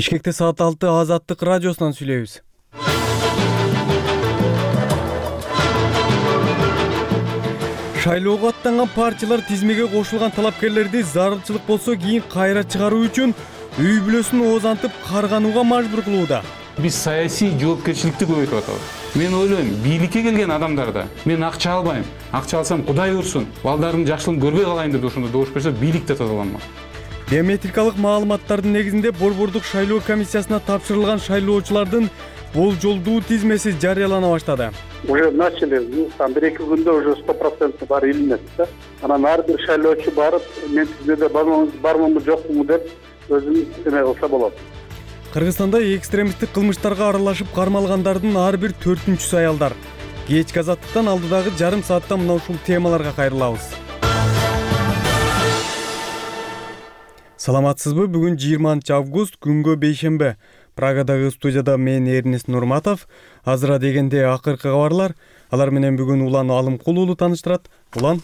Бишкекте саат 6 Азаттык радиосунан сүйлөйбүз. Шайлоого аттанган партиялар тизмеге кошулган талапкерлерди зарылчылык болсо кийин кайра чыгаруу үчүн үй бүлөсүн оозантып карганууга мажбур кылууда. Биз саясий жоопкерчиликти көбөйтүп атабыз. Мен ойлойм, бийликке келген адамдарда мен акча албайм, акча алсам Кудай урсун, балдардын жакшылыгын көрбөй калайын деп ошондо добуш берсе, бийлик да тазаланмак. Биометрикалык маалыматтардын негизинде Борбордук шайлоо комиссиясына тапшырылган шайлоочулардын болжолдуу тизмеси жарыялана баштады. Уже начали, там 1-2 күндө уже 100% баары илинет да. Анан ар бир шайлоочу барып, мен тизмеде бармынбы жокмунбу деп өзүн эме кылса болот. Кыргызстанда экстремисттик кылмыштарга аралашып кармалгандардын ар бир 4-үнчүсү аялдар. Кечки азаттыктан алдыдагы жарым саатта мына ушул темаларга кайрылабыз. Саламатсызбы? Бүгүн 20 август, күнгө бейшембе. Прагадагы студияда мен Эрнест Нурматов. Азыра дегенде акыркы кабарлар. Алар менен бүгүн Улан Алымкул уулу тааныштырат. Улан.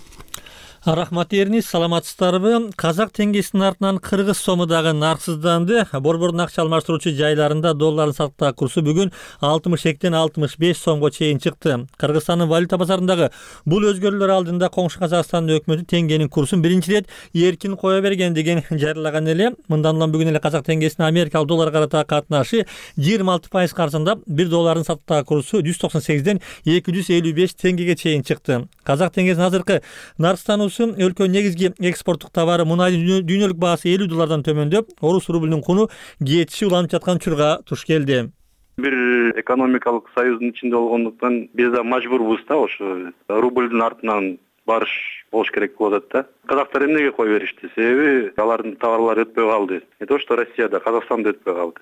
Рахмат Эрнест, саламатсыздарбы? Казак теңгесинин артынан кыргыз сому дагы нарксызданды. Борбордун акча алмаштыруучу жайларында доллардын сатуу курсу бүгүн 62ден 65 сомго чейин чыкты. Кыргызстандын валюта базарындагы бул өзгөрүүлөр алдында коңшу Казакстандын өкмөтү теңгенин курсун биринчи ирет эркин кое берген деген жарыялаган эле. Мындан улам бүгүн эле казак теңгесинин америкалык долларга карата катнашы 26% каршысында 1 доллардын сатуу курсу 198ден 255 теңгеге чейин чыкты. Казак теңгесинин азыркы нарксыздануусу өлкө негизги экспорттук товары мунайдын дүйнөлүк баасы 50 доллардан төмөндөп, орус рубльнин куну кетиши уланып жаткан учурга туш келди. Бир экономикалык союздун ичинде болгондуктан биз да мажбурбуз да ошо рубльдин артынан барыш болуш керек болуп атат да. Казактар эмнеге кой беришти? Себеби алардын товарлары өтпөй калды. Не то что Россияда, Казакстанда өтпөй калды.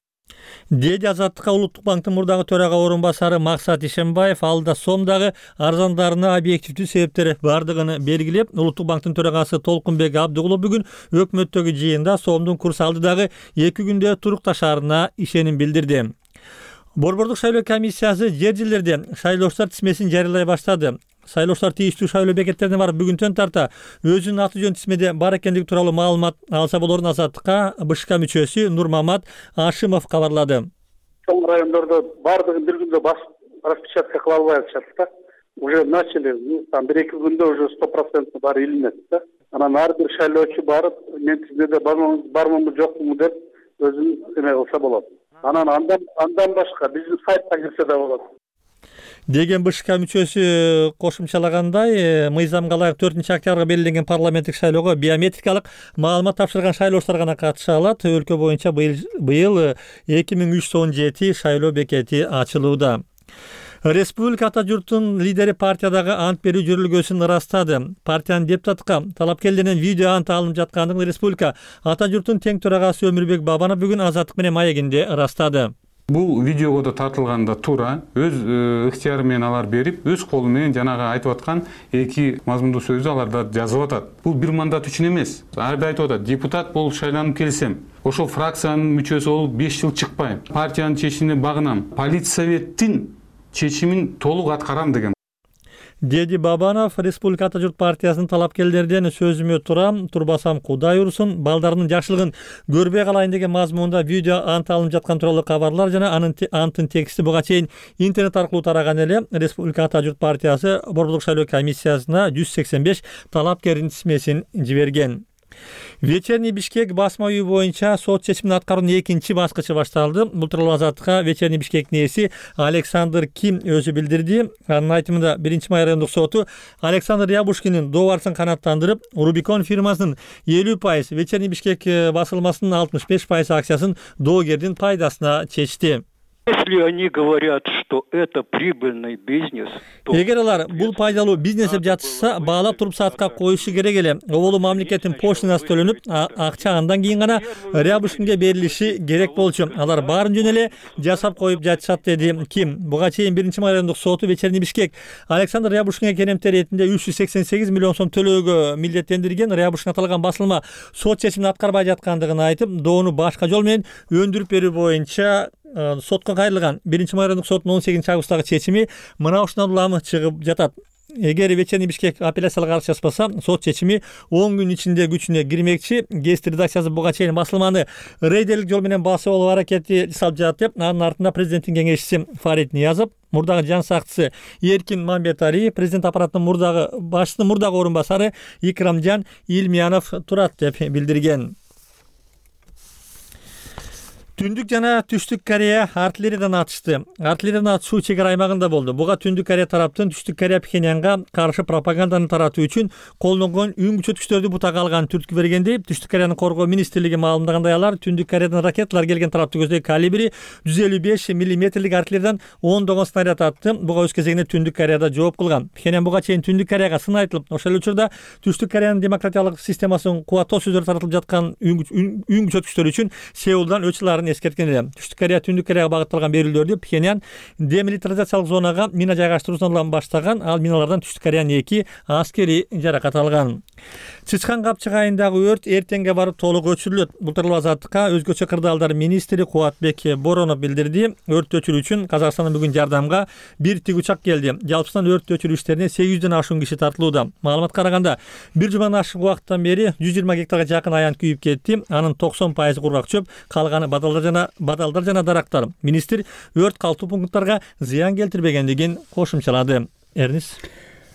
Деди Азаттыкка Улуттук банктын мурдагы төрага орун басары Максат Ишембаев алда сомдагы арзандарына объективдүү себептер бардыгын белгилеп, Улуттук банктын төрагасы Толкунбек Абдыгулов бүгүн өкмөттөгү жыйында сомдун курсу алдыдагы 2 күндө турукташаарына ишеним билдирди. Борбордук шайлоо комиссиясы жер жерлерде шайлоочулар тизмесин жарыялай баштады. Шайлоочулар тийиштүү шайлоо бекеттерине барып бүгүнтөн тарта өзүнүн аты жөн тизмеде бар экендиги тууралуу маалымат алса болорун Азаттыкка БШК мүчөсү Нурмамат Ашимов кабарлады. Чоң райондордо бардыгын бир күндө распечатка кыла албай атышат да. Уже начали, там 1-2 күндө уже 100% баары илинет да. Анан ар бир шайлоочу барып, мен тизмеде бармынбы жокмунбу деп өзүн эме кылса болот. Анан андан башка биздин сайтка кирсе да болот. Деген БШК мүчөсү кошумчалагандай, мыйзамга ылайык 4-октябрга белгиленген парламенттик шайлоого биометрикалык маалымат тапшырган шайлоочулар гана катыша алат. Өлкө боюнча быйыл 2317 шайлоо бекети ачылууда. Республика ата журттун лидери партиядагы ант берүү жүрүлгөсүн ырастады. Партиянын депутатка талапкерлеринен видео ант алынып жаткандыгын республика ата журттун тең төрагасы Өмүрбек Бабанов бүгүн Азаттык менен маегинде ырастады. Бул видеого да тартылганда туура өз ыктыяры менен алар берип, өз колу менен жанагы айтып аткан эки мазмундуу сөздү аларда жазып атат. Бул бир мандат үчүн эмес. Ар бир айтып атат, депутат болуп шайланып келсем, ошол фракциянын мүчөсү болуп 5 жыл чыкпайм. Партиянын чечимине багынам. Политсоветтин чечимин толук аткарам деген. Деди Бабанов Республика ата журт партиясынын талапкерлерден сөзүмө турбасам Кудай урсун, балдарынын жакшылыгын көрбөй калайын деген мазмунда видео ант алынып жаткан тууралуу кабарлар жана анттын тексти буга чейин интернет аркылуу тараган эле. Республика ата журт партиясы Борбордук шайлоо комиссиясына 185 талапкердин тизмесин жиберген. Вечерний Бишкек басма үйү боюнча сот чечимин аткаруунун экинчи баскычы башталды. Бул тууралуу Азаттыкка Вечерний Бишкектин ээси Александр Ким өзү билдирди. Анын айтымында 1-май райондук соту Александр Рябушкиндин доо барысын канааттандырып, Рубикон фирмасынын 50%, Вечерний Бишкек басылмасынын 65% акциясын доогердин пайдасына чечти. Если они говорят, что это прибыльный бизнес, то... Эгер алар бул пайдалуу бизнес деп жатышса, баалап туруп саатка коюшу керек эле. Оболу мамлекеттин поштинасы төлөнүп, акча андан кийин гана Рябушкинге берилиши керек болчу. Алар баарын жөн эле жасап коюп жатышат, деди Ким. Буга чейин 1-май райондук соту Вечерний Бишкек Александр Рябушкинге керемтер ретинде 388 миллион сом төлөөгө милдеттендирген. Рябушкин аталган басылма сот чечимин аткарбай жаткандыгын айтып, доону башка жол менен өндүрүп берүү боюнча сотко кайрылган. 1-май райондук соттун 18 августтагы чечими мына ушундан улам чыгып жатат. эгер вечерний Бишкек апелляциялык арыз жазбаса, сот чечими 10 күн ичинде күчүнө кирмекчи. ГЭС редакциясы буга чейин басылманы рейдерлик жол менен басып алуу аракети жасалып жатып, анын артында президенттин кеңешчиси Фарид Ниязов, мурдагы жан сакчысы Эркин Мамбеталиев, президент аппаратынын мурдагы башчысынын мурдагы орун басары Икрамжан Илмиянов турат деп билдирген. Түндүк жана Түштүк Корея артиллериядан атышты. Артиллериядан атышуу чек ара аймагында болду. Буга Түндүк Корея тараптын Түштүк Корея Пхеньянга каршы пропаганданы таратуу үчүн колдонгон үн күчөткүчтөрдү бутага алган түрткү бергенди Түштүк Кореянын коргоо министрлиги маалымдагандай, алар Түндүк Кореядан ракеталар келген тарапты көздөй калибри 155 мм артиллериядан 10 снаряд атты. Буга өз кезегинде Түндүк Кореяда жооп кылган. Пхеньян буга чейин Түндүк Кореяга сын айтылып, ошол учурда Түштүк Кореянын демократиялык системасын кубаттоо сөздөр таратылып жаткан үн күчөткүчтөр үчүн Сеулдан өчүларын эскерткен эле. Түштүк Корея Түндүк Кореяга багытталган берүүлөрдү Пхеньян демилитаризациялык зонага мина жайгаштыруусунан баштаган. Ал миналардан Түштүк Кореянын 2 аскери жаракат алган. Чычкан Капчык айындагы өрт эртеңге барып толук өчүрүлөт. Бул тууралуу Азаттыкка өзгөчө кырдаалдар министри Кубатбек Боронов билдирди. Өрт өчүрүү үчүн Казакстандан бүгүн жардамга бир тигучак келди. Жалпысынан өрт өчүрүү иштерине 800дөн ашуун киши тартылууда. Маалыматка караганда, бир жумадан ашык убакыттан бери 120 гектарга жакын аян күйүп кетти. Анын 90% кургак чөп, калганы бадалдар жана дарактар. Министр өрт калтуу пункттарга зыян келтирбегендигин кошумчалады. Эрнис.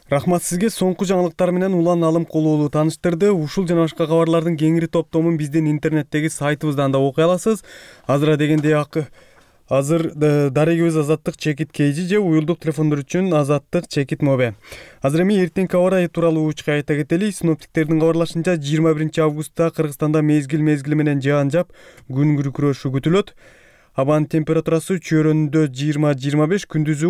Рахмат сизге. Соңку жаңылыктар менен Улан Алым Кулуулу тааныштырды. Ушул жана башка кабарлардын кеңири топтомун биздин интернеттеги сайтыбыздан да окуй аласыз. Азыр дарегибиз Азаттык чекит KG же уюлдук телефондор үчүн Азаттык чекит Мобе. Азыр эми эртеңки аба ырайы тууралуу учка айта кетели. Синоптиктердин кабарлашынча 21 августта Кыргызстанда мезгил менен жаан жаап, күн күркүрөшү күтүлөт. Абанын температурасы чөйрөндө 20-25, күндүзү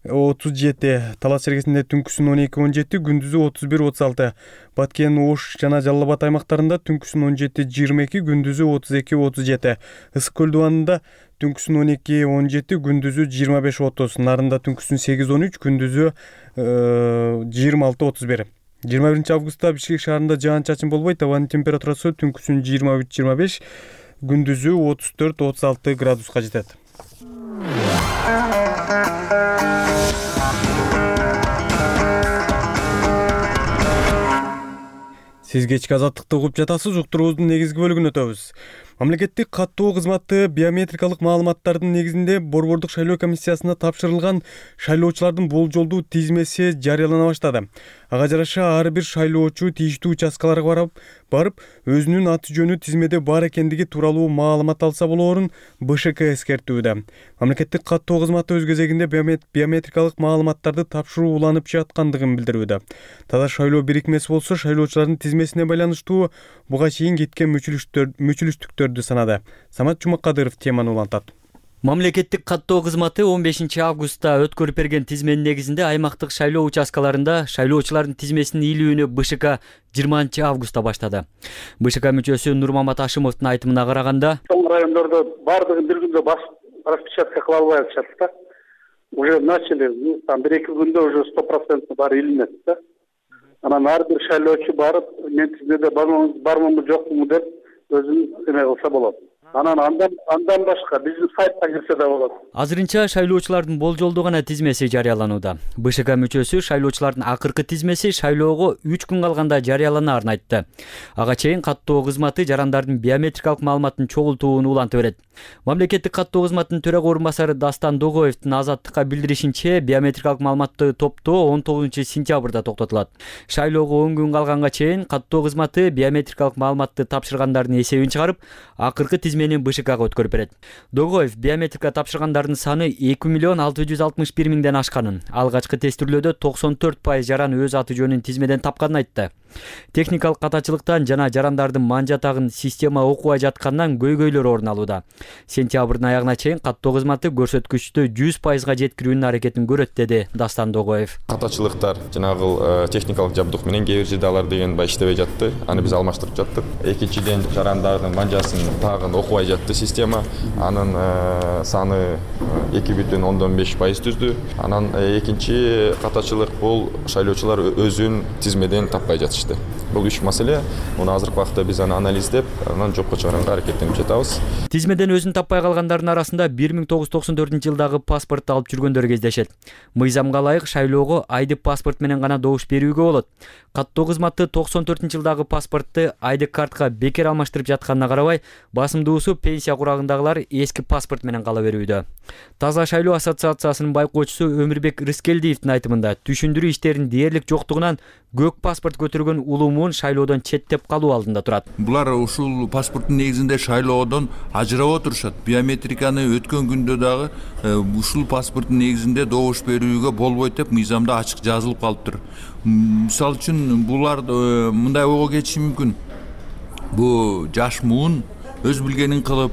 32-37, Талас чергесинде түнкүсүн 12-17, күндүзү 31-36. Баткен, Ош жана Жалал Абад аймактарында түнкүсүн 17-22, күндүзү 32-37. Ысык көл дубанында түнкүсүн 12-17, күндүзү 25-30. Нарында түнкүсүн 8-13, күндүзү 26-31. 21 августта Бишкек шаарында жаан чачын болбойт. Абанын температурасы түнкүсүн 23-25, күндүзү 34-36 градуска жетет. Сиз кечки Азаттыкты угуп жатасыз. Уктуруубуздун негизги бөлүгүнө өтөбүз. Мамлекеттик каттоо кызматы биометрикалык маалыматтардын негизинде Борбордук шайлоо комиссиясына тапшырылган шайлоочулардын болжолдуу тизмеси жарыялана баштады. Ага жараша ар бир шайлоочу тийиштүү участкаларга барып, өзүнүн аты жөнү тизмеде бар экендиги тууралуу маалымат алса болоорун БШК эскертүүдө. Мамлекеттик каттоо кызматы өз кезегинде биометрикалык маалыматтарды тапшыруу уланып жаткандыгын билдирүүдө. Таза шайлоо бирикмеси болсо, шайлоочулардын тизмесине байланыштуу буга чейин кеткен мүчүлүштүктөрдү санады. Самат Жумакадыров теманы улантат. Мамлекеттик каттоо кызматы 15 августта өткөрүп берген тизменин негизинде аймактык шайлоо участкаларында шайлоочулардын тизмесинин ийилүүнү БШК 20 августта баштады. БШК мүчөсү Нурмамат Ашымовдун айтымына караганда, Соң райондордо бардыгын бир күндө распечатка кыла албай атышат да. Уже начали, там 1-2 күндө уже 100% баары илинет да. Анан ар бир шайлоочу барып, мен тизмеде бармынбы жокму деп өзүн эме кылса болот. Анан андан башка биздин сайтка кирсе да болот. Азырынча шайлоочулардын болжолдуу гана тизмеси жарыяланууда. БШК мүчөсү шайлоочулардын акыркы тизмеси шайлоого 3 күн калганда жарыяланаарын айтты. Ага чейин каттоо кызматы жарандардын биометрикалык маалыматын чогултууну улантып берет. Мамлекеттик каттоо кызматынын төрага орун басары Дастан Догоевдин Азаттыкка билдиришинче, биометрикалык маалыматты топтоо 19 сентябрда токтотулат. Шайлоого 10 күн калганга чейин каттоо кызматы биометрикалык маалыматты тапшыргандардын эсебин чыгарып, акыркы тизмени БШКга өткөрүп берет. Догоев биометрика тапшыргандардын саны 2 661 000ден ашканын, алгачкы тестирлөөдө 94% жаран өз аты жөнүн тизмеден тапканын айтты. Техникалык катачылыктан жана жарандардын ман жатагын система окубай жаткандан көйгөйлөр орун алууда. Сентябрдын аягына чейин каттоо кызматы көрсөткүчтү 100%га жеткирүүнүн аракетин көрөт, деди Дастан Догоев. Катачылыктар жанагы техникалык жабдык менен кээ бир жерде алар деген иштебей жатты. Аны биз алмаштырып жаттык. Экинчиден жарандардын манжасын тагын окуп таппай жатты система. Анын саны 2,5% түздү. Анан экинчи катачылык бул шайлоочулар өзүн тизмеден таппай жатышты. Бул үч маселе. Муну азыркы убакта биз аны анализдеп, анан жокко чыгарганга аракеттенип жатабыз. Тизмеден өзүн таппай калгандардын арасында 1994-жылдагы паспортду алып жүргөндөр кездешет. Мыйзамга ылайык шайлоого айдык паспорт менен гана добуш берүүгө болот. Каттоо кызматы 94-жылдагы паспортту айдык картка бекер алмаштырып жатканына карабай, басымдуусу пенсия курагындагылар эски паспорт менен кала берүүдө. Таза шайлоо ассоциациясынын байкоочусу Өмүрбек Рыскелдиевдин айтымында түшүндүрүү иштеринин дээрлик жоктугунан көк паспорт көтөргөн улуумун шайлоодон четтеп калуу алдында турат. Булар ушул паспорттун негизинде шайлоодон ажырап отурушат. Биометриканы өткөн күндө дагы ушул паспорттун негизинде добуш берүүгө болбойт деп мыйзамда ачык жазылып калыптыр. Мисалы үчүн булар мындай ойго кетиши мүмкүн. Бу жаш муун өз билгенин кылып,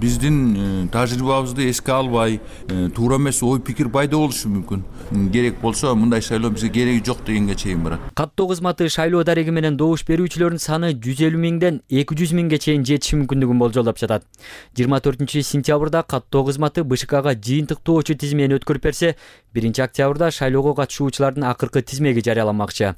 биздин тажрыйбабызды эске албай, туура эмес ой пикир пайда болушу мүмкүн. Керек болсо мындай шайлоо бизге кереги жок дегенге чейин барат. Каттоо кызматы шайлоо дареги менен добуш берүүчүлөрдүн саны 150 миңден 200 миңге чейин жетиши мүмкүндүгүн болжолдоп жатат. 24-сентябрда каттоо кызматы БШКга жыйынтыктоочу тизмени өткөрүп берсе, 1-октябрда шайлоого катышуучулардын акыркы тизмеги жарыяламакчы.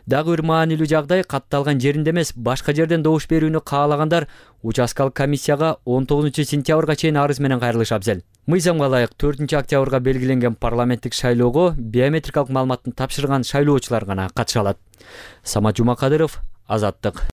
Дагы бир маанилүү жагдай, катталган жеринде эмес, башка жерден добуш берүүнү каалагандар участкалык комиссияга 19-сентябрга чейин арыз менен кайрылышы абзел. Мыйзамга ылайык 4-октябрга белгиленген парламенттик шайлоого биометрикалык маалыматтын тапшырган шайлоочулар гана катыша алат. Самат Жумакадыров, Азаттык.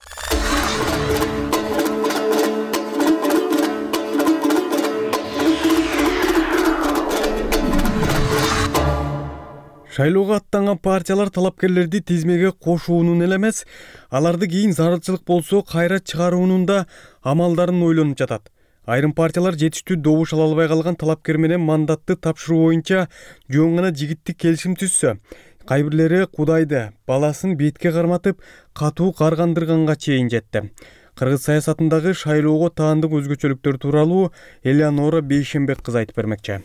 Шайлоого аттанган партиялар талапкерлерди тизмеге кошуунун эле эмес, аларды кийин зарылчылык болсо кайра чыгаруунун да амалдарын ойлонуп жатат. Айрым партиялар жетиштүү добуш ала албай калган талапкер менен мандатты тапшыруу боюнча жөн гана жигиттик келишим түзсө, кайбирлери Кудайды, баласын бетке карматып, катуу каргандырганга чейин жетти. Кыргыз саясатындагы шайлоого таандык өзгөчөлүктөр тууралуу Элеонора Бейшембек кызы айтып бермекчи.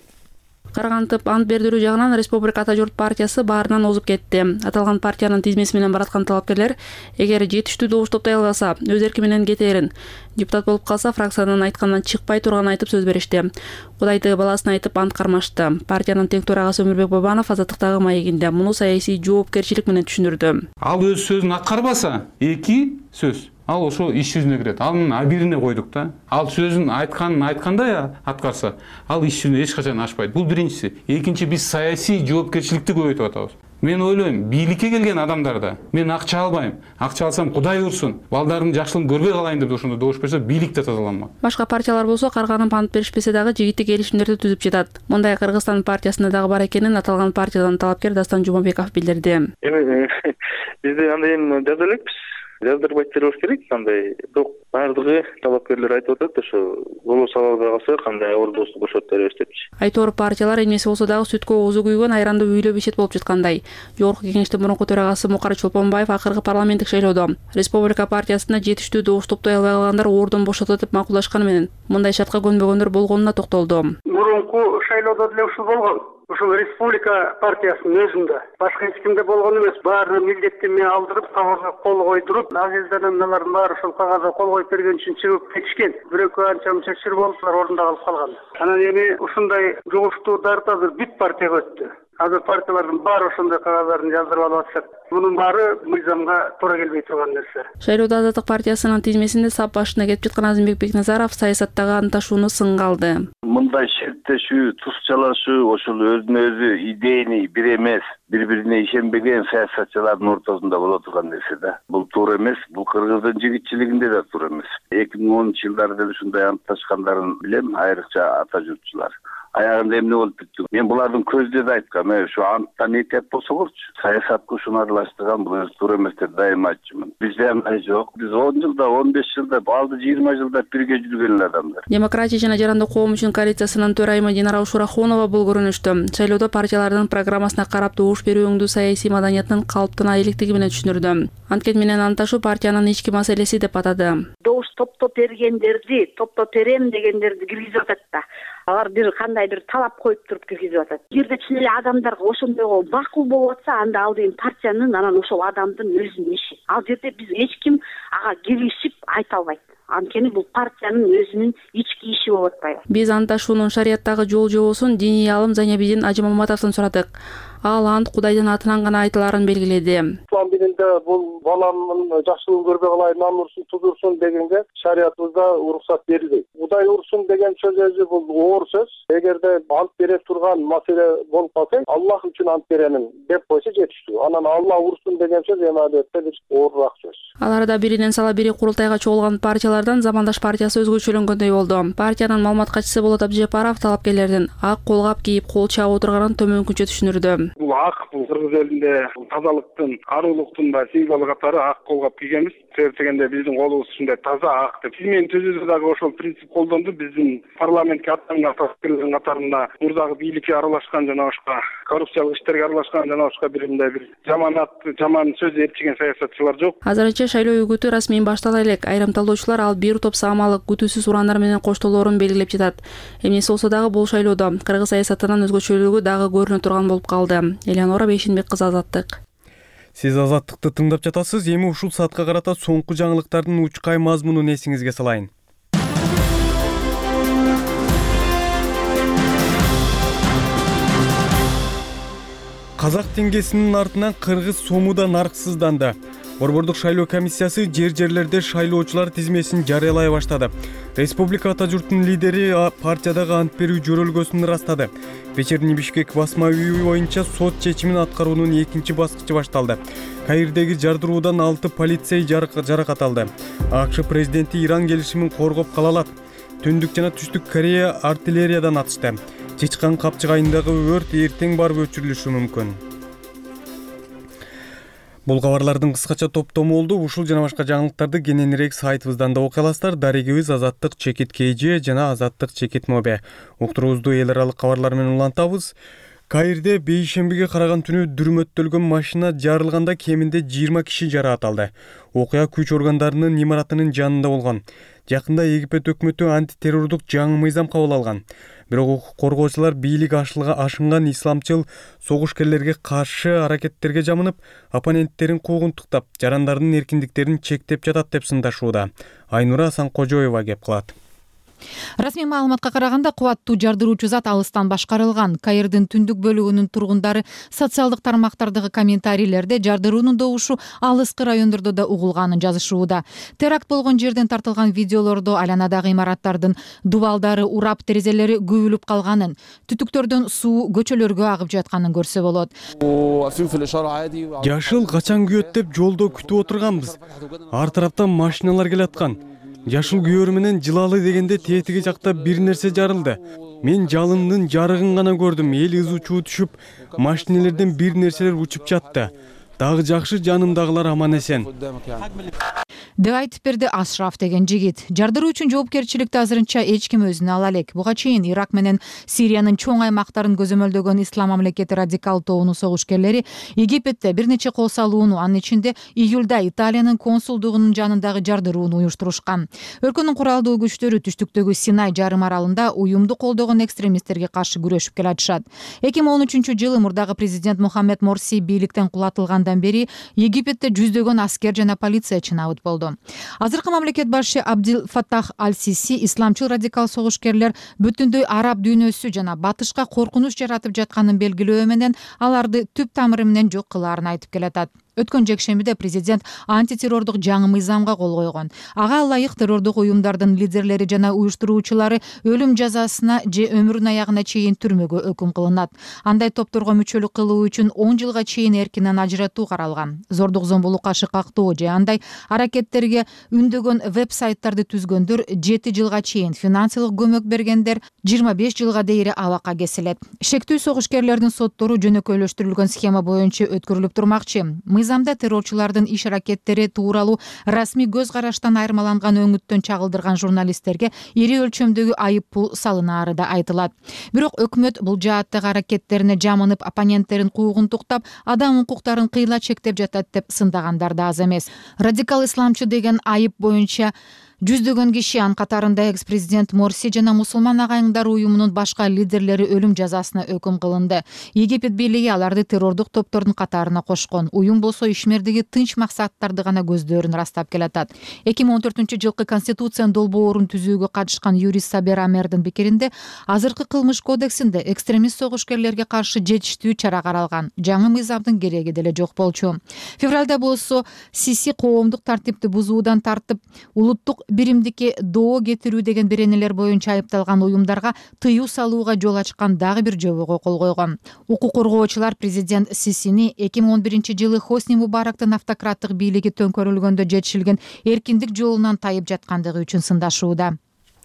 Каргантып ант бердирүү жагынан Республика Ата журт партиясы баарынан озуп кетти. Аталган партиянын тизмеси менен бараткан талапкерлер эгер жетиштүү добуш топтой албаса, өз эрки менен кетерин, депутат болуп калса фракциянын айткандан чыкпай турганын айтып сөз беришти. Кудайды баласын айтып ант кармашты. Партиянын тең төрагасы Өмүрбек Бабанов Азаттыктагы маегинде муну саясий жоопкерчилик менен түшүндүрдү. Ал өз сөзүн аткарбаса, эки сөз ал ошо иш жүзүнө кирет. Анын абирине койдук да. Ал сөзүн айткандай аткарса, ал иш жүзүнө эч качан ашпайт. Бул биринчиси. Экинчи, биз саясий жоопкерчиликти көбөйтүп атабыз. Мен ойлойм, бийликке келген адамдарда мен акча албайм. Акча алсам Кудай урсун, балдардын жакшылыгын көрбөй калайын деп ошондо добуш берсе, бийлик да тазаланмак. Башка партиялар болсо карганып ант беришпесе дагы жигиттик келишимдерди түзүп жатат. Мындай Кыргызстан партиясында дагы бар экенин аталган партиядан талапкер Дастан Жумабеков билдирди. Бизде андай жаза элекпиз. Жаздырбайт бериш керек, кандай. Бирок баардыгы талапкерлер айтып атат, ошо голос ала албай калса кандай ордосу бошотуп беребиз депчи. Айтор партиялар эмнеси болсо дагы сүткө оозу күйгөн айранды үйлөп ичет болуп жаткандай. Жогорку кеңештин мурунку төрагасы Мукар Чолпонбаев акыркы парламенттик шайлоодо Республика партиясында жетиштүү добуш топтой албай калгандар ордун бошотот деп макулдашканы менен мындай шартка көнбөгөндөр болгонуна токтолду. Мурунку шайлоодо деле ушул болгон. Ушул Республика партиясынын өзүндө башка эч кимде болгон эмес. Баары милдеттеме алдырып, кагазга кол койдуруп, азизданарлардын баары ушул кагазга кол коюп берген үчүн чыгып кетишкен. Бирөкөө анча мынча чыр болуптур, ордунда калып калган. Анан эми ушундай жугуштуударды азыр бүт партияга өттү. Азыр партиялардын баары ошондой кагаздарын жаздырып алып атышат. Мунун баары мыйзамга туура келбей турган нерсе. Шайлоодо Азаттык партиясынын тизмесинде сап башына кетип жаткан Азимбек Бекназаров саясаттагы анташууну сынга алды. Мындай шерттешүү, туз чалашуу, ошол өзүнө өзү идейни бир эмес, бири-бирине ишенбеген саясатчылардын ортосунда боло турган нерсе да. Бул туура эмес, бул Кыргыздын жигитчилигинде да туура эмес. 2010-жылдары деле ушундай антташкандарын билем, айрыкча ата журтчулар. Аягында эмне болуп бүттү? Мен булардын көзүндө да айткам, ошо анттан этеп болсоңорчу. Саясатка ушуну аралаштырган бул өзү туура эмес деп дайыма айтчумун. Бизде андай жок. Биз 10 жылда, 15 жылда, балды 20 жылда бирге жүргөн адамдар. Демократия жана жарандык коом үчүн коалициясынын төрайымы Динара Ушурахунова бул көрүнүштү шайлоодо партиялардын программасына карап добуш берүүңдү саясий маданияттын калыптана электиги менен түшүндүрдү. Анткени менен анташуу партиянын ички маселеси деп атады. Добуш топтоп бергендерди, топтоп берем дегендерди киргизип атат да. Алар бир кандайдыр талап коюп туруп киргизип атат. Эгерде чын эле адамдарга ошондойго макул болуп атса, анда ал деген партиянын анан ошол адамдын өзүнүн иши. Ал жерде биз эч ким ага киришип айта албайт. анткени бул партиянын өзүнүн ички иши болуп атпайбы. Биз анташуунун шарияттагы жол жобосун диний аалым Занябидин Ажимаматовдон сурадык. Ал ант Кудайдын атынан гана айтылаарын белгиледи. Ислам дининде бул баламдын жакшылыгын көрбөй калайын, намурсун тудурсун дегенге шариятыбызда уруксат берилбейт. Кудай урсун деген сөз өзү бул оор сөз. Эгерде ант бере турган маселе болуп калса, Аллах үчүн ант беремин деп койсо жетиштүү. Анан Алла урсун деген сөз эми албетте бир оорураак сөз. Аларда биринен сала бири курултайга чогулган партиялардан Замандаш партиясы өзгөчөлөнгөндөй болду. Партиянын маалымат катчысы Болот Абдижапаров талапкерлердин ак колгап кийип кол чаап отурганын төмөнкүнчө түшүндүрдү. Бул ак бул кыргыз элинде тазалыктын, арулуктун да символу катары ак колгап кийгенбиз. Себеп дегенде биздин колубуз ушундай таза ак деп. Мен түзүүдө дагы ошол принцип колдонду. Биздин парламентке аттанган талапкерлердин катарында мурдагы бийликке аралашкан жана ошко коррупциялык иштерге аралашкан жана ошко бир жаман сөз ээрчиген саясатчылар жок. Азырынча шайлоо үгүтү расмий баштала элек. Айрым талдоочулар ал бир топ саамалык күтүүсүз урандар менен коштолоорун белгилеп жатат. Эмнеси болсо дагы бул шайлоодо кыргыз саясатынын өзгөчөлүгү дагы көрүнө турган болуп калды. Элеонора Бейшенбек кызы, Азаттык. Сиз Азаттыкты тыңдап жатасыз. Эми ушул саатка карата соңку жаңылыктардын учкай мазмунун эсиңизге салайын. Казак теңгесинин артынан кыргыз сому да нарксызданды. Борбордук шайлоо комиссиясы жерлерде шайлоочулар тизмесин жарыялай баштады. Республика ата журтунун лидери партиядагы ант берүү жөрөлгөсүн ырастады. Вечерний Бишкек басма үйү боюнча сот чечимин аткаруунун экинчи баскычы башталды. Каирдеги жардыруудан 6 полицей жаракат алды. АКШ президенти Иран келишимин коргоп кала алат. Түндүк жана Түштүк Корея артиллериядан атышты. Чычкан капчыгайындагы өрт эртең барып өчүрүлүшү мүмкүн. Бул кабарлардын кыскача топтому болду. Ушул жана башка жаңылыктарды кененирээк сайтыбыздан да окуй аласыздар. Дарегибиз Азаттык чекит КЖ жана Азаттык чекит МОБ. Уктуруубузду эл аралык кабарлар менен улантабыз. Каирде бейшембиге караган түнү дүрмөттөлгөн машина жарылганда кеминде 20 киши жараат алды. Окуя күч органдарынын имаратынын жанында болгон. Жакында Египет өкмөтү антитеррордук жаңы мыйзам кабыл алган. Бирок укук коргоочулар бийлик ашынган исламчыл согушкерлерге каршы аракеттерге жамынып, оппоненттерин куугунтуктап, жарандардын эркиндиктерин чектеп жатат деп сындашууда. Айнура Санкожоева кеп кылат. Расмий маалыматка караганда кубаттуу жардыруучу зат алыстан башкарылган. Каирдин түндүк бөлүгүнүн тургундары социалдык тармактардагы комментарийлерде жардыруунун добушу алыскы райондордо да угулганын жазышууда. Теракт болгон жерден тартылган видеолордо айланадагы имараттардын дубалдары урап, терезелери күбүлүп калганын, түтүктөрдөн суу көчөлөргө агып жатканын көрсө болот. Жашыл качан күйөт деп жолдо күтүп отурганбыз. Ар тараптан машиналар келаткан. Жашыл күйөр менен жылалы дегенде тетиги жакта бир нерсе жарылды. Мен жалындын жарыгын гана көрдүм. Эл ызы чуу түшүп, машинелерден бир нерселер учуп жатты. Дагы жакшы жанымдагылар аман эсен. деп айтып берди Ашраф деген жигит. Жардыруу үчүн жоопкерчиликти азырынча эч ким өзүнө ала элек. Буга чейин Ирак менен Сириянын чоң аймактарын көзөмөлдөгөн Ислам мамлекети радикал тобунун согушкерлери Египетте бир нече кол салууну, анын ичинде июлда Италиянын консулдугунун жанындагы жардырууну уюштурушкан. Өлкөнүн куралдуу күчтөрү түштүктөгү Синай жарым аралында уюмду колдогон экстремисттерге каршы күрөшүп келатышат. 2013-жылы мурдагы президент Мухаммед Морси бийликтен кулатылгандан бери Египетте жүздөгөн аскер жана полициячы набыт болду. Азыркы мамлекет башы Абдил Фаттах Аль-Сиси исламчыл радикал согушкерлер бүтүндөй араб дүйнөсү жана батышка коркунуч жаратып жатканын белгилөө менен аларды түп тамыры менен жок кылаарын айтып келатат. Өткөн жекшембиде президент антитеррордук жаңы мыйзамга кол койгон. Ага ылайык террордук уюмдардын лидерлери жана уюштуруучулары өлүм жазасына же өмүрүнүн аягына чейин түрмөгө өкүм кылынат. Андай топторго мүчөлүк кылуу үчүн 10 жылга чейин эркинен ажыратуу каралган. Зордук зомбулукка шыкактоо же андай аракеттерге үндөгөн веб-сайттарды түзгөндөр 7 жылга чейин, финансылык көмөк бергендер 25 жылга дейре абакка кесилет. Шектүү согушкерлердин соттору жөнөкөйлөштүрүлгөн схема боюнча өткөрүлүп турмакчы. Мыйзамда террорчулардын иш аракеттери тууралуу расмий көз караштан айырмаланган өңүттөн чагылдырган журналисттерге ири өлчөмдөгү айып пул салынаары да айтылат. Бирок өкмөт бул жааттагы аракеттерине жамынып, оппоненттерин куугунтуктап, адам укуктарын кыйла чектеп жатат деп сындагандар да аз эмес. Радикал исламчы деген айып боюнча Жүздөгөн киши, анын катарында экс-президент Морси жана мусулман агайыңдар уюмунун башка лидерлери өлүм жазасына өкүм кылынды. Египет бийлиги аларды террордук топтордун катарына кошкон. Уюм болсо ишмердиги тынч максаттарды гана көздөрүн ырастап келатат. 2014-жылкы конституциянын долбоорун түзүүгө катышкан юрист Сабер Амердин пикиринде, азыркы кылмыш кодексинде экстремист согушкерлерге каршы жетиштүү чара каралган. Жаңы мыйзамдын кереги деле жок болчу. Февралда болсо Сиси коомдук тартипти бузуудан тартып, улуттук биримдикке доо кетирүү деген беренелер боюнча айыпталган уюмдарга тыюу салууга жол ачкан дагы бир жобого кол койгон. Укук коргоочулар президент Сисини 2011-жылы Хосни Мубарактын автократтык бийлиги төңкөрүлгөндө жетишилген эркиндик жолунан тайып жаткандыгы үчүн сындашууда.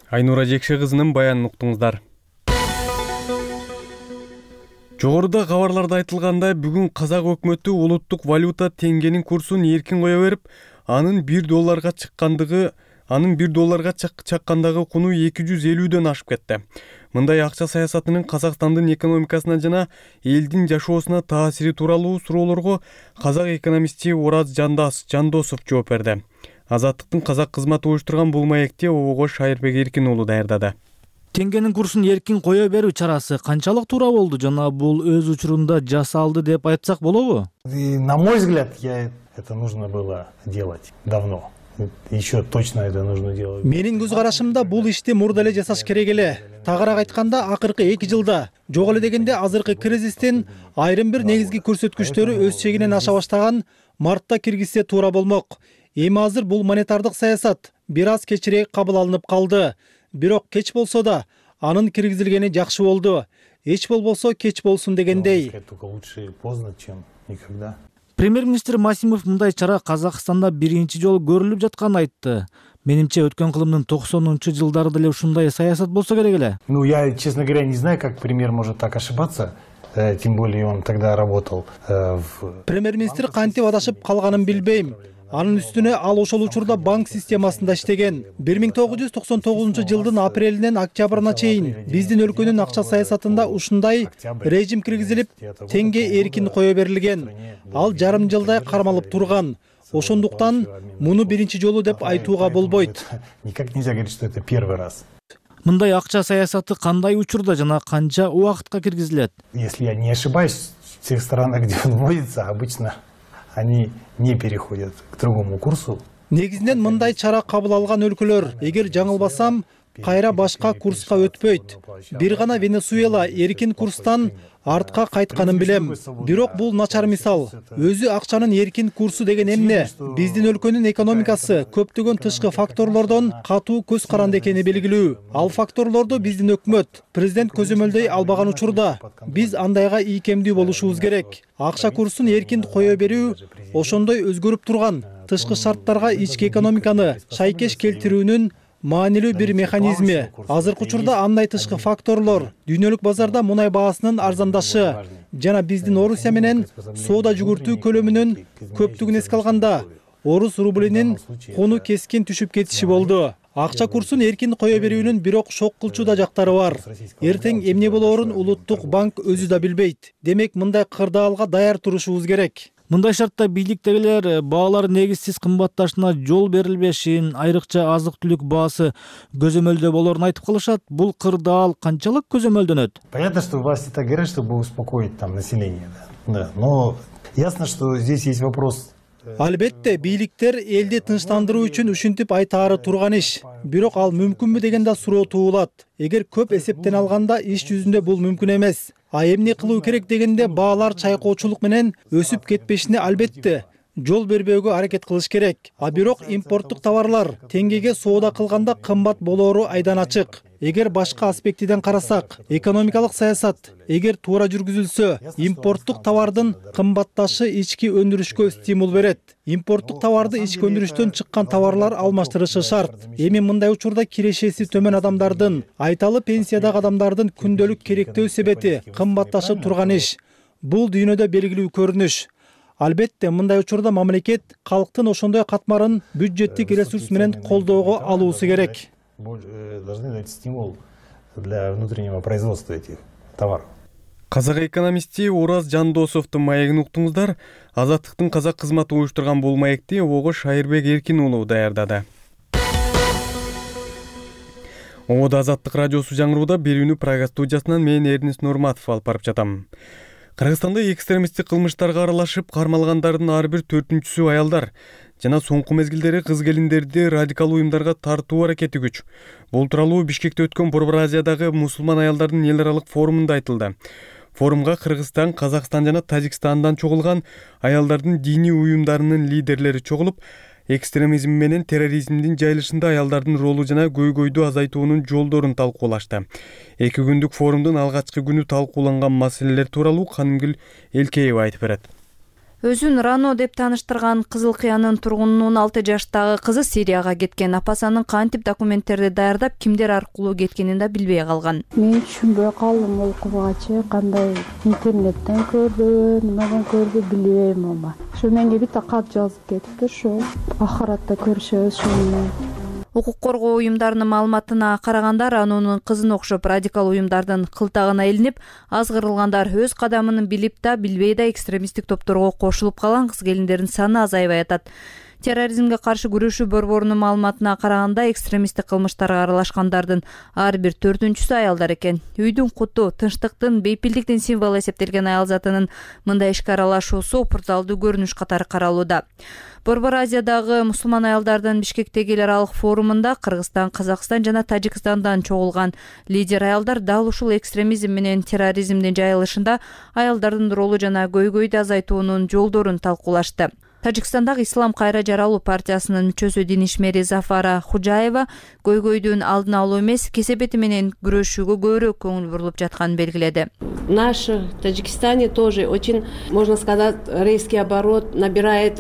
Айнура Жекше кызынын баянын уктуңуздар. Жогоруда кабарларда айтылгандай, бүгүн казак өкмөтү улуттук валюта теңгенин курсун эркин кое берип, анын $1 чаккандагы куну 250дөн ашып кетти. Мындай акча саясатынын Казакстандын экономикасына жана элдин жашоосуна таасири тууралуу суроолорго казак экономисти Ораз Жандосов жооп берди. Азаттыктын казак кызматы уюштурган бул маекти ООО Шайырбек Эркин уулу даярдады. Теңгенин курсун эркин кое берүү чарасы канчалык туура болду жана бул өз учурунда жасалды деп айтсак болобу? На мой взгляд, это нужно было делать давно. Еще точно это нужно делать. Менин көз карашымда бул ишти мурда эле жасаш керек эле. Тагыраак айтканда, акыркы 2 жылда, жок эле дегенде азыркы кризистин айрым бир негизги көрсөткүчтөрү өз чегинен аша баштаган мартта киргизсе туура болмок. Эми азыр бул монетардык саясат бир аз кечирээк кабыл алынып калды. Бирок кеч болсо да анын киргизилгени жакшы болду. Эч болбосо кеч болсун дегендей. Лучше поздно, чем никогда. Премьер-министр Масимов мындай чара Казакстанда биринчи жолу көрүлүп жатканын айтты. Менимче өткөн кылымдын 90-жылдары деле ушундай саясат болсо керек эле. Я, честно говоря, не знаю, как премьер может так ошибаться. Тем более он тогда работал в... Премьер-министр кантип адашып калганын билбейм. Анын үстүнө ал ошол учурда банк системасында иштеген. 1999-жылдын апрелинен октябрына чейин биздин өлкөнүн акча саясатында ушундай режим киргизилип, теңге эркин кое берилген. Ал жарым жылдай кармалып турган. Ошондуктан муну биринчи жолу деп айтууга болбойт. Никак нельзя говорить, что это первый раз. Мындай акча саясаты кандай учурда жана канча убакытка киргизилет? Если я не ошибаюсь, в тех странах, где он вводится, обычно они не переходят к другому курсу. Негизинен мындай чара кабыл алган өлкөлөр, эгер жаңылбасам, кайра башка курска өтпөйт. Бир гана Венесуэла эркин курстан артка кайтканын билем. Бирок бул начар мисал. Өзү акчанын эркин курсу деген эмне? Биздин өлкөнүн экономикасы көптөгөн тышкы факторлордон катуу көз каранды экени белгилүү. Ал факторлорду биздин өкмөт, президент көзөмөлдөй албаган учурда биз андайга ийкемдүү болушубуз керек. Акча курсун эркин кое берүү ошондой өзгөрүп турган тышкы шарттарга ички экономиканы шайкеш келтирүүнүн маанилүү бир механизми. Азыркы учурда андай тышкы факторлор дүйнөлүк базарда мунай баасынын арзандашы жана биздин Орусия менен соода жүгүртүү көлөмүнүн көптүгүн эске алганда орус рублинин куну кескин түшүп кетиши болду. Акча курсун эркин кое берүүнүн бирок шок кылчу да жактары бар. Эртең эмне болоорун улуттук банк өзү да билбейт. Демек мындай кырдаалга даяр турушубуз керек. Мындай шартта бийликтегилер баалар негизсиз кымбатташына жол берилбешин, айрыкча азык-түлүк баасы көзөмөлдө болорун айтып калышат. Бул кырдаал канчалык көзөмөлдөнөт? Понятно, что власти так говорят, чтобы успокоить там население, да. Но ясно, что здесь есть вопрос. Албетте, бийликтер элди тынчтандыруу үчүн ушинтип айтаары турган иш. Бирок ал мүмкүнбү деген да суроо туулат. Эгер көп эсептен алганда иш жүзүндө бул мүмкүн эмес. А эмне кылуу керек дегенде баалар чайкоочулук менен өсүп кетпешине албетте жол бербөөгө аракет кылыш керек. А бирок импорттук товарлар теңгеге соода кылганда кымбат болоору айдан ачык. Эгер башка аспектиден карасак, экономикалык саясат эгер туура жүргүзүлсө, импорттук товардын кымбатташы ички өндүрүшкө стимул берет. Импорттук товарды ички өндүрүштөн чыккан товарлар алмаштырышы шарт. Эми мындай учурда кирешеси төмөн адамдардын, айталы пенсиядагы адамдардын күндөлүк керектөө себети кымбатташып турган иш. Бул дүйнөдө белгилүү көрүнүш. Албетте, мындай учурда мамлекет калктын ошондой катмарын бюджеттик ресурс менен колдоого алуусу керек. Должны дать стимул для внутреннего производства этих товаров. Казак экономисти Ораз Жандосовдун маегин уктуңуздар. Азаттыктын казак кызматы уюштурган бул маекти ООО Шайырбек Эркин уулу даярдады. Ода Азаттык радиосу жаңырууда берүүнү Прага студиясынан мен Эрнест Нурматов алып барып жатам. Кыргызстанда экстремисттик кылмыштарга аралашып кармалгандардын ар бир 4-сү аялдар жана соңку мезгилдери кыз келиндерди радикал уюмдарга тартуу аракети күч. Бул тууралуу Бишкекте өткөн Борбор Азиядагы мусулман аялдардын эл аралык форумунда айтылды. Форумга Кыргызстан, Казакстан жана Тажикстандан чогулган аялдардын диний уюмдарынын лидерлери чогулуп, экстремизм менен терроризмдин жайылышында аялдардын ролу жана көйгөйдү азайтуунун жолдорун талкуулашты. 2 күндүк форумдун алгачкы күнү талкууланган маселелер тууралуу Канымгүл Элкеева айтып берет. Өзүн Рано деп таныштырган Кызыл Кыянын тургунунун 6 жаштагы кызы Сирияга кеткен. Апасынын кантип документтерди даярдап, кимдер аркылуу кеткенин да билбей калган. Мен түшүнбөй калдым окубгачы, кандай интернеттен көрдү, немеден көрдү билбейм ама. Ошо менге бит кат жазып кетипти, ошо ахиратта көрүшөбүз ошону. Укук коргоо уюмдарынын маалыматына караганда, Ранонун кызына окшоп радикал уюмдардын кылтагына илинип, азгырылгандар өз кадамын билип да, билбей да экстремисттик топторго кошулуп калган кыз келиндердин саны азайбай атат. Терроризмге каршы күрөшүү борборунун маалыматына караганда, экстремисттик кылмыштарга аралашкандардын ар бир 4-сү аялдар экен. Үйдүн куту, тынчтыктын, бейпилдиктин символу эсептелген аял затынын мындай ишке аралашуусу опурталдуу көрүнүш катары каралууда. Борбор Азиядагы мусулман аялдардын Бишкектеги эл аралык форумунда Кыргызстан, Казакстан жана Тажикстандан чогулган лидер аялдар дал ушул экстремизм менен терроризмдин жайылышында аялдардын ролу жана көйгөйдү азайтуунун жолдорун талкуулашты. Тажикстандагы Ислам кайра жаралуу партиясынын мүчөсү дин ишмери Зафара Худжаева көйгөйдүн алдын алуу эмес, кесепети менен күрөшүүгө көбүрөөк көңүл бурулуп жатканын белгиледи. Наш Таджикистане тоже очень, можно сказать, резкий оборот набирает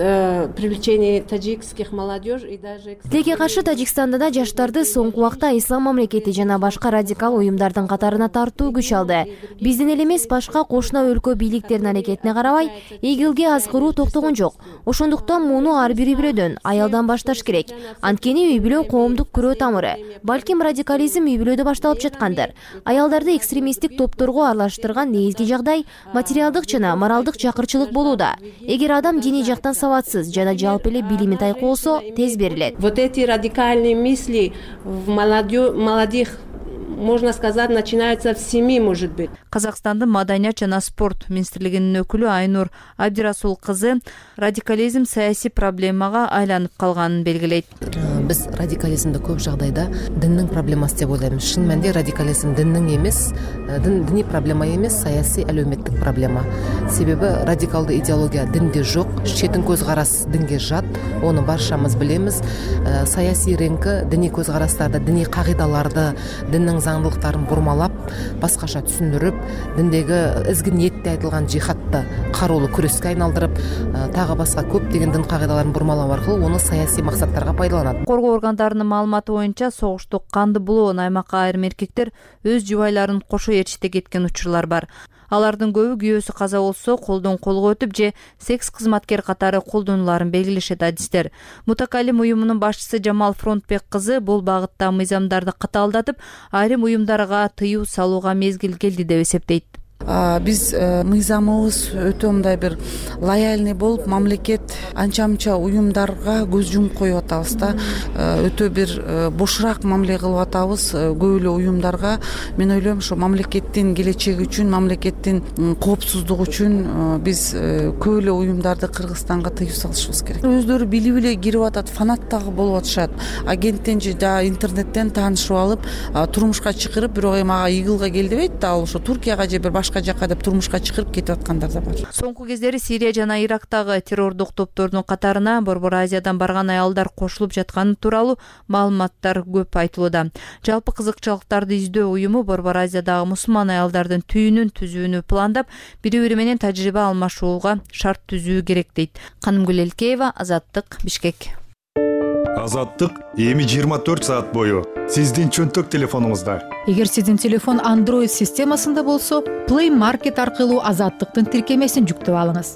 привлечение таджикских молодежь и даже... Тилекке каршы Тажикстанда да жаштарды соңку убакта ислам мамлекети жана башка радикал уюмдардын катарына тартуу күч алды. Биздин эл эмес, башка кошуна өлкө бийликтеринин аракетине карабай, ИГИЛге азгыруу токтогон жок. Ошондуктан муну ар бири бирөөдөн, аялдан башташ керек. Анткени үй бүлө коомдук күрөө тамыры. Балким радикализм үй бүлөдө башталып жаткандыр. Аялдарды экстремисттик топторго аралаштырган негизги жагдай материалдык жана моралдык чакырчылык болууда. Эгер адам диний жактан сабатсыз жана жалпы эле билими тайкы болсо, тез берилет. Вот эти радикальные мысли в молодых, можно сказать, начинается в семье, может быть. Казакстандын маданият жана спорт министрлигинин өкүлү Айнур Абдирасул кызы радикализм саясий проблемага айланып калганын белгилейт. Биз радикализмди көп жагдайда диндин проблемасы деп ойлойбуз. Шын мәнинде радикализм диндин эмес, диний проблема эмес, саясий әлеуметтик проблема. Себеби радикалдуу идеология динде жок, четин көз карас динге жат, ону барчамыз билебиз. Саясий реңки диний көз карастарды, диний кагыйдаларды, диндин заңдылыктарын бурмалап, башкача түшүндүрүп, диндеги изги ниетте айтылган жихадты кароолуу күрөскө айналдырып, тагы башка көптөгөн дин кагыйдаларын бурмалоо аркылуу ону саясий максаттарга пайдаланат. Коргоо органдарынын маалыматы боюнча, согуштук канды булоон аймакка айрым эркектер өз жубайларын кошо ээрчите кеткен учурлар бар. Алардын көбү күйөөсү каза болсо, колдон колго өтүп же секс кызматкер катары колдонуларын белгилешет адистер. Мутакалим уюмунун башчысы Жамал Фронтбек кызы бул багытта мыйзамдарды катаалдатып, айрым уюмдарга тыюу салууга мезгил келди деп эсептейт. Биз мыйзамыбыз өтө мындай бир лояльный болуп, мамлекет анча-мынча уюмдарга көз жумуп коюп атабыз да. Өтө бир бошураак мамиле кылып атабыз көп эле уюмдарга. Мен ойлойм, ошо мамлекеттин келечеги үчүн, мамлекеттин коопсуздугу үчүн биз көп эле уюмдарды Кыргызстанга тыюу салышыбыз керек. Өздөрү билип эле кирип атат, фанат дагы болуп атышат. Агенттен же интернеттен таанышып алып, турмушка чакырып, бирок эми ага ИГИЛга кел дебейт да, ал ошо Туркияга же бир башка жакка деп турмушка чыгырып кетип аткандар да бар. Соңку кездери Сирия жана Ирактагы террордук топтордун катарына Борбор Азиядан барган аялдар кошулуп жатканы тууралуу маалыматтар көп айтылууда. Жалпы кызыкчылыктарды издөө уюму Борбор Азиядагы мусулман аялдардын түйүнүн түзүүнү пландап, бири-бири менен тажрыйба алмашууга шарт түзүү керек дейт. Канымгүл Элкеева, Азаттык, Бишкек. Азаттык эми 24 саат бою сиздин чөнтөк телефонуңузда. Эгер сиздин телефон Android системасында болсо, Play Market аркылуу Азаттыктын тиркемесин жүктөп алыңыз.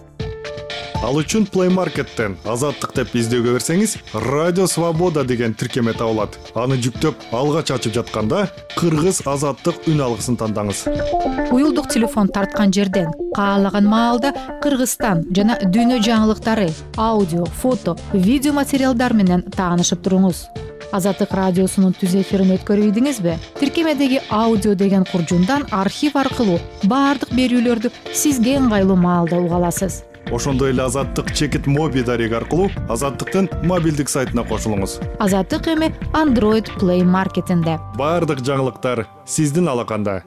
Ал үчүн Play Market'тен Азаттык деп издөөгө берсеңиз, Радио Свобода деген тиркеме табылат. Аны жүктөп, алгач ачып жатканда Кыргыз Азаттык үн алгысын тандаңыз. Уюлдук телефон тарткан жерден каалаган маалда Кыргызстан жана дүйнө жаңылыктары, аудио, фото, видео материалдар менен таанышып туруңуз. Азаттык радиосунун түз эфирин өткөрүбүдүңүзбү? Тиркемедеги аудио деген куржундан архив аркылуу баардык берүүлөрдү сизге ыңгайлуу маалда уга аласыз. Ошондой эле Азаттык чекит моби дареги аркылуу Азаттыктын мобилдик сайтына кошулуңуз. Азаттык эми Android Play Marketинде. Баардык жаңылыктар сиздин алаканда.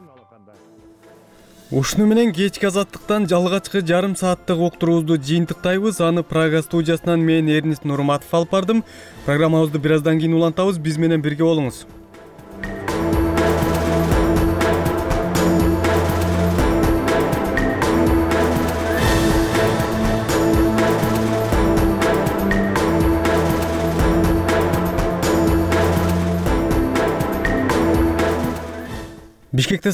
Ушуну менен кечки Азаттыктан жалгачкы жарым сааттык уктуруубузду жыйынтыктайбыз. Аны Прага студиясынан мен Эрнис Нурматов алып бардым. Программабызды бир аздан кийин улантабыз. Биз менен бирге болуңуз. Бишкекте